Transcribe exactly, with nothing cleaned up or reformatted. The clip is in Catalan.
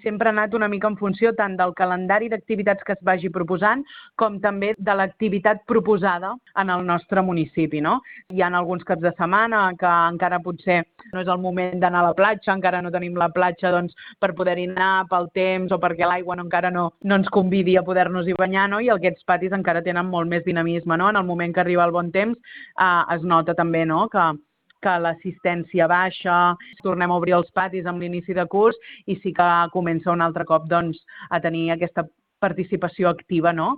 Sempre ha anat una mica en funció tant del calendari d'activitats que es vagi proposant com també de l'activitat proposada en el nostre municipi, no? Hi ha alguns caps de setmana que encara potser no és el moment d'anar a la platja, encara no tenim la platja doncs, per poder-hi anar pel temps o perquè l'aigua no, encara no, no ens convidi a poder-nos-hi banyar, no? I aquests patis encara tenen molt més dinamisme, no? En el moment que arriba el bon temps eh, es nota també, no?, que que l'assistència baixa, tornem a obrir els patis amb l'inici de curs i sí que comença un altre cop doncs, a tenir aquesta participació activa, no?,